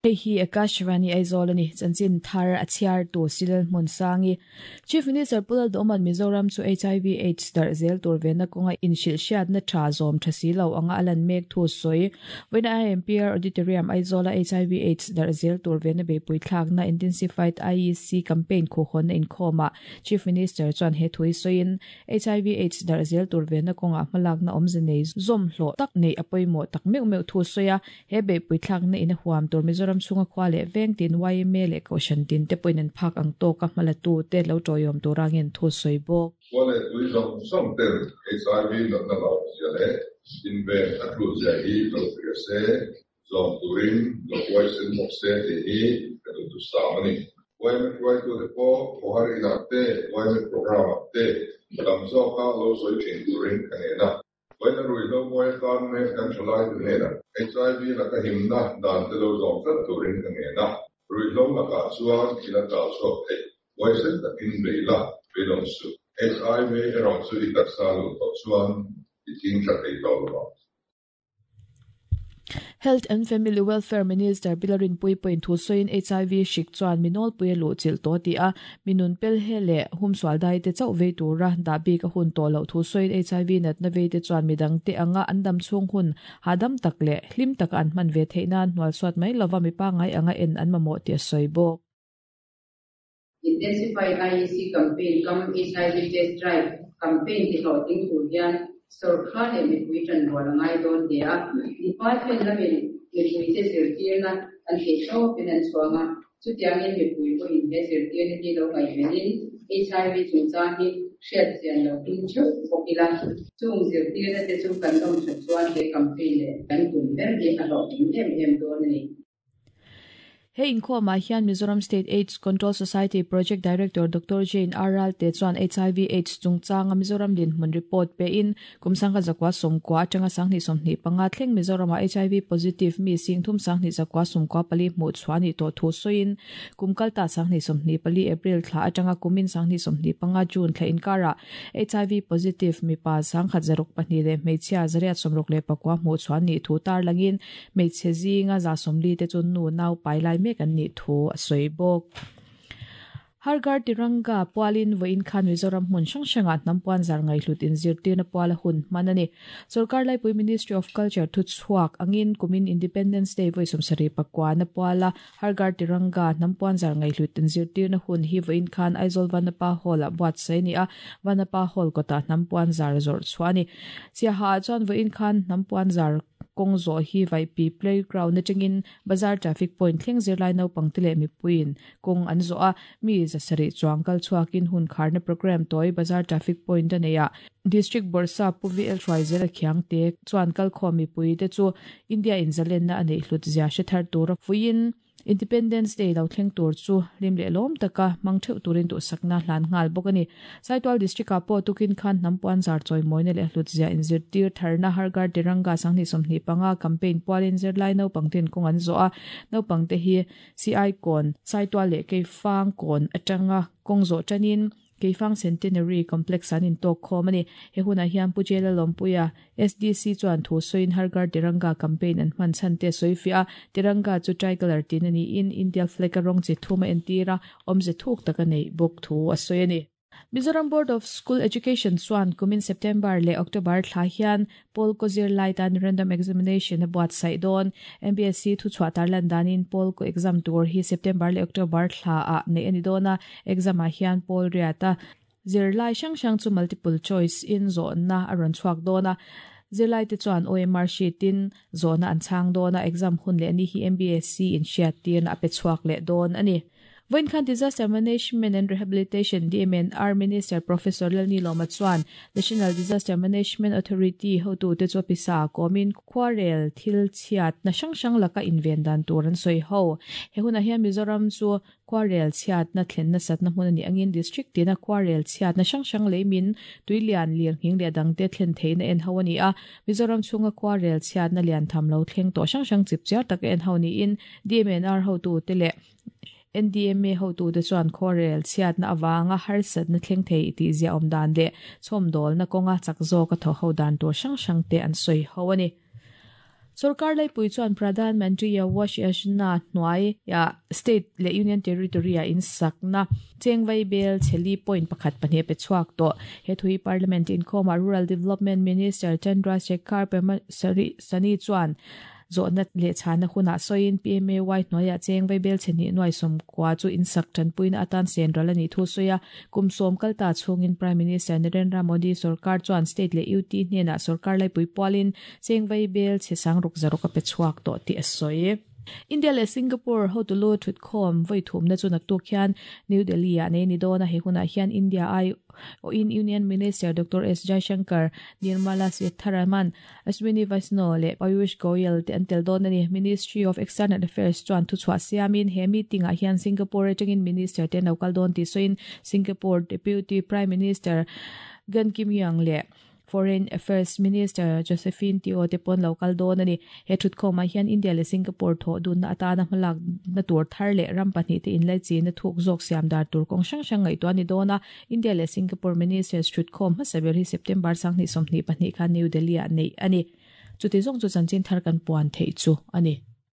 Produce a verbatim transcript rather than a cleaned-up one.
Hei hi Akashvani Aizawl ani chanchin thar a chhiar tu Silal Hmunsangi. Chief Minister Pu Lalduhoma'n Mizoram chu H I V AIDS darh zel tur vena kawnga inhrilh hriatna tha zawm tha si lo anga a lan mek thu sawi. Vawiin I M P R Auditorium Aizawla H I V AIDS darh zel tur vena beihpui thlakna Intensified I E C campaign khuhhawnna inkhawmah Chief Minister chuan he thu hi sawiin H I V AIDS darh zel tur vena kawnga hmalakna awmze nei zawm hlawh tak nei a pawimawh tak meuh meuh thu sawi a. He beihpui thlakna in a huam tur Mizoram chhunga khua leh veng tin Y M A leh kohhran tin te pawhin an phak ang tawka hmalatu te lo tawiawm turangin thu sawi bawk. Khua leh tui zawng zawng ten H I V natna lo zia leh inven a tul zia hi lo hria se, zawm turin lo huaisen bawk se tih hi ka duhthusam a ni. Y M A hruaitute pawh khawhar inah te, Y M A program ah te tam zawka lo sawi thin turin ka ngen a. Vawiina ruihhlo mawi atan mek kan thalai te hnenah H I V laka himna dan te lo zawm tlat turin ka ngen a. Ruihhlo lakah chuan ila tal chhuak thei. Huaisen takin bei la, beidawng suh. H I V erawh chu i taksa luh tawh chuan i thing tha thei tawh lo. Health and Family Welfare Minister Pi Lalrinpuii pawhin thu sawiin H I V hrik chuan minawlpui a luh chilh tawh ti a, minun pel he leh humsual dai te chauh vei tura dah bik a hun tawh loh thu sawiin H I V natna vei te chuan midang te anga an dam chhung hun hahdam tak leh hlim taka an hman ve theih nan hnual suat mai lova mi pangai anga en an mamawh tih a sawi bawk. Intensified I E C campaign cum H I V test drive campaign ti hlawhtling tur hian sorkar leh mipui tan rual a ngai dawn hle a. Department lamin mipui te zirtirna an thei tawpin an chhuang a, chutiangin mipui pawhin he zirtirna hi lo ngaihvenin H I V chungchang hi hriat chian lo tum theuh bawk ila. Chung zirtirna te chu kan zawm that chuan he campaign leh kan tum ber hi a hlawhtling em em dawn a ni. He inkhawmah hian Mizoram State AIDS Control Society Project Director Doctor Jane R. Ralte chuan H I V AIDS chungchanga Mizoram dinhmun report pe in kum sangkhat zakua sawmkua atanga sanghnih sawmhnih panga thleng Mizorama H I V positive mi sing thum sanghnih zakua sawmkua pali hmuh chhuah ni tawh thu sawiin kum kalta sanghnih sawmhnih pali April thla atanga kumin sanghnih sawmhnih panga June thla inkara H I V positive mipa sangkhat zaruk pahnih leh hmeichhia zariat sawmruk leh pakua hmuh chhuah ni thu tar langin hmeichhe zinga za sawmli te chu nu nau pai lai mek an nih thu a sawi bawk. Har Ghar Tiranga pualin vawiin khan Mizoram hmun hrang hrangah hnampuan zar ngaihhlut inzirtirna puala hun hman a ni. Sorkar Laipui Ministry of Culture thu chhuak angin kumin Independence Day vawi sawmsarih pakua na puala Har Ghar Tiranga hnampuan zar ngaihhlut inzirtirna hun hi vawiin khan Aizawl Vanapa Hall ah buatsaih a ni a, Vanapa Hall kawtah hnampuan zar zawrh chhuah a ni. Siaha ah chuan vawiin khan hnampuan zar kawng zawh hi Vaipi Playground atangin Bazar Traffic Point thleng zirlai naupang te leh mipuiin kawng an zawh a, mi zasarih chuang kal chhuakin hun kharna program tawi Bazar Traffic Point a nei a. District Bawrhsap Pu V L Hruaizela Khiangte chuan kalkhawm mipui te chu India in zalenna a neih hlut zia hre thar tura fuiin Independence Day lo thleng tur chu hlim leh lawm taka hmang theuh turin duhsakna hlan nghal bawk a ni. Saitual District ah pawh tukin khan hnampuan zar chawimawina leh hlut zia inzirtir tharna Har Ghar Tiranga sanghnih sawmhnih panga campaign pualin zirlai naupang ten kawng an zawh a, naupang te hi C I kawn Saitual leh Keifang kawn atanga kawng zawh tanin Keifang Centenary Complex an intawk khawm a ni. He hunah hian Pu Jela Lawmpuia S D C chuan thu sawiin Har Ghar Tiranga campaign an hman chhan te sawi fiah a, Tiranga chu tricolor tin a niin India flag a rawng chi thum a entir a, awmze thuk tak a neih bawk thu a sawi a ni. Mizoram Board of School Education chuan kumin September leh October thla hian Pawl kaw zirlai tan random examination a buatsaih dawn. M B S E thu chhuah tarlan danin Pawl kaw exam tur hi September leh October thla ah neih a ni dawn a, exam ah hian pawl riata zirlai hrang hrang chu multiple choice in zawhna a rawn chhuak dawn a. Zirlai te chuan O M R sheet in zawhna an chhang dawn a, exam hun leh ni hi M B S E in hriat tirna a pe chhuak leh dawn a ni. Vawiin khan Disaster Management and Rehabilitation D M N R Minister Professor Lalnilawma chuan National Disaster Management Authority hotu te chu pisa kawmin khuarel thil chhiat na hrang hrang laka inven dan tur an sawi ho. He hunah hian Mizoram chu khuarel chhiat na thlen na satna hmun ani angin district tina khuarel chhiat na hrang hrang leimin tuilian lir nghing leh dangte thlen theihna en ho ani a. Mizoram chhunga khuarel chhiat na lian tham lo thleng tawh hrang hrang chipchiar tak en ho niin D M N R hotu te leh N D M A hotu te chuan khuarel chhiat na awanga harsat na thleng thei tih zia awm dan leh chhawmdawl na kawnga chak zawk a thaw ho dan tur hrang hrang te an sawi ho ani. Sarkar laipui chuan Pradhan Mantri Awas Yojana hnuai ya state le union territory a in sakna chengvai bel cheli point pakhat pahnih pe chuak to he thui parliament in khoma Rural Development Minister Chandra Shekhar Sani chuan zawhna leh chhana hunah sawiin P M A Y hnuaiah chengvai bel chheni nuai sawm kwa chu in sak tanpuina atan senral ani thu sawi a kum sawm kalta chhungin Prime Minister Narendra Modi sarkar chuan state leh U T hnenah sarkar laipui pualin chengvai bel chhe sangruk zaruk a pe chhuak tawh tih a sawi. India le Singapore hotulu thutkhawm voi thumna chu naktuk hian New Delhi ah nei ni dawn a he hunah hian India ai o in Union Minister Doctor S Jaishankar, Nirmala Sitharaman, Ashwini Vaishnaw le Piyush Goyal te an tel dawn ani. Ministry of External Affairs chuan thu chhuah siamin he meeting ah hian Singapore atangin minister te nokal dawn ti sawiin Singapore Deputy Prime Minister Gan Kim Yang le Foreign Affairs Minister Josephine Teo te pon local dawn ani. He thutkhawmah hian India le Singapore thaw dun na atana hmalak na tur thar leh ram pahnih te inlai chi na thuk zawk siam dar tur kawng hrang hrang ngaihtuah ani dawn a. India le Singapore Ministers thutkhawm hmasa ber hi September sanghnih sawmhnih pahnih khan New Delhi ah nei ani. Chuti zawng chu chanchin thar kan puan theih chu ani.